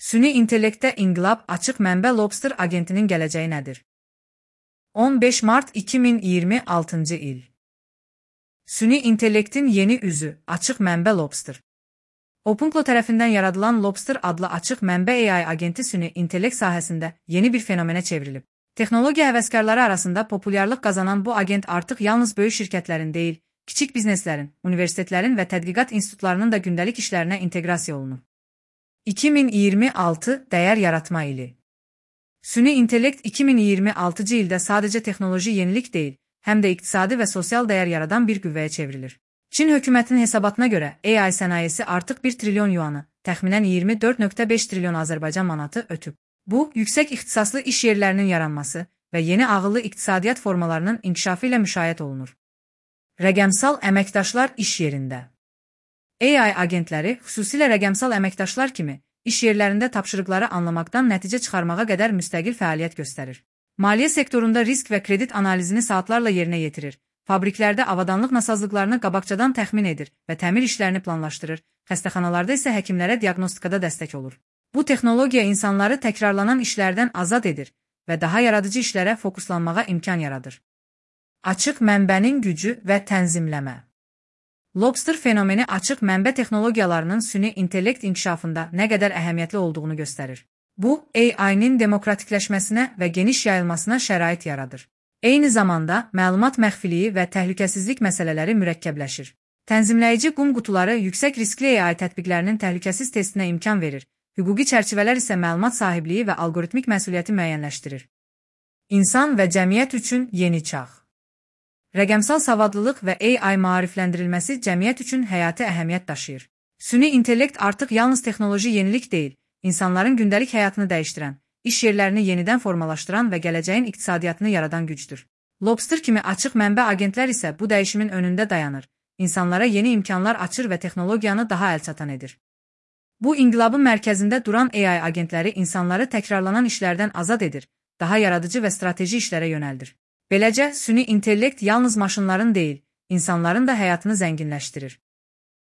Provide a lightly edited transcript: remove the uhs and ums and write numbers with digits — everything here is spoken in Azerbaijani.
Süni intellektdə inqilab açıq mənbə Lobster agentinin gələcəyi nədir? 15 Mart 2026 il. Süni intellektin yeni üzü, açıq mənbə Lobster. OpenClaw tərəfindən yaradılan Lobster adlı açıq mənbə AI agenti süni intellekt sahəsində yeni bir fenomenə çevrilib. Texnologiya həvəskarları arasında populyarlıq qazanan bu agent artıq yalnız böyük şirkətlərin deyil, kiçik bizneslərin, universitetlərin və tədqiqat institutlarının da gündəlik işlərinə inteqrasiya olunur. 2026 dəyər yaratma ili. Süni intellekt 2026-cı ildə sadəcə texnoloji yenilik deyil, həm də iqtisadi və sosial dəyər yaradan bir qüvvəyə çevrilir. Çin hökumətinin hesabatına görə AI sənayesi artıq 1 trilyon yuanı, təxminən 24,5 trilyon Azərbaycan manatı ötüb. Bu, yüksək ixtisaslı iş yerlərinin yaranması və yeni ağıllı iqtisadiyyat formalarının inkişafı ilə müşahidə olunur. Rəqəmsal əməkdaşlar iş yerində. AI agentləri, xüsusilə rəqəmsal əməkdaşlar kimi, iş yerlərində tapşırıqları anlamaqdan nəticə çıxarmağa qədər müstəqil fəaliyyət göstərir. Maliyyə sektorunda risk və kredit analizini saatlarla yerinə yetirir, fabriklərdə avadanlıq nasazlıqlarını qabaqcadan təxmin edir və təmir işlərini planlaşdırır, xəstəxanalarda isə həkimlərə diaqnostikada dəstək olur. Bu texnologiya insanları təkrarlanan işlərdən azad edir və daha yaradıcı işlərə fokuslanmağa imkan yaradır. Açıq mənbənin gücü və tənzimləmə. Lobster fenomeni açıq mənbə texnologiyalarının süni intellekt inkişafında nə qədər əhəmiyyətli olduğunu göstərir. Bu, AI-nin demokratikləşməsinə və geniş yayılmasına şərait yaradır. Eyni zamanda, məlumat məxfiliyi və təhlükəsizlik məsələləri mürəkkəbləşir. Tənzimləyici qum qutuları yüksək riskli AI tətbiqlərinin təhlükəsiz testinə imkan verir, hüquqi çərçivələr isə məlumat sahibliyi və algoritmik məsuliyyəti müəyyənləşdirir. İnsan və cəmiyyət üçün yeni çağ. Rəqəmsal savadlılıq və AI maarifləndirilməsi cəmiyyət üçün həyati əhəmiyyət daşıyır. Süni intellekt artıq yalnız texnoloji yenilik deyil, insanların gündəlik həyatını dəyişdirən, iş yerlərini yenidən formalaşdıran və gələcəyin iqtisadiyyatını yaradan gücdür. Lobster kimi açıq mənbə agentlər isə bu dəyişimin önündə dayanır, insanlara yeni imkanlar açır və texnologiyanı daha əlçatan edir. Bu inqilabın mərkəzində duran AI agentləri insanları təkrarlanan işlərdən azad edir, daha yaradıcı və strateji işlərə yönəldir. Beləcə, süni intellekt yalnız maşınların deyil, insanların da həyatını zənginləşdirir.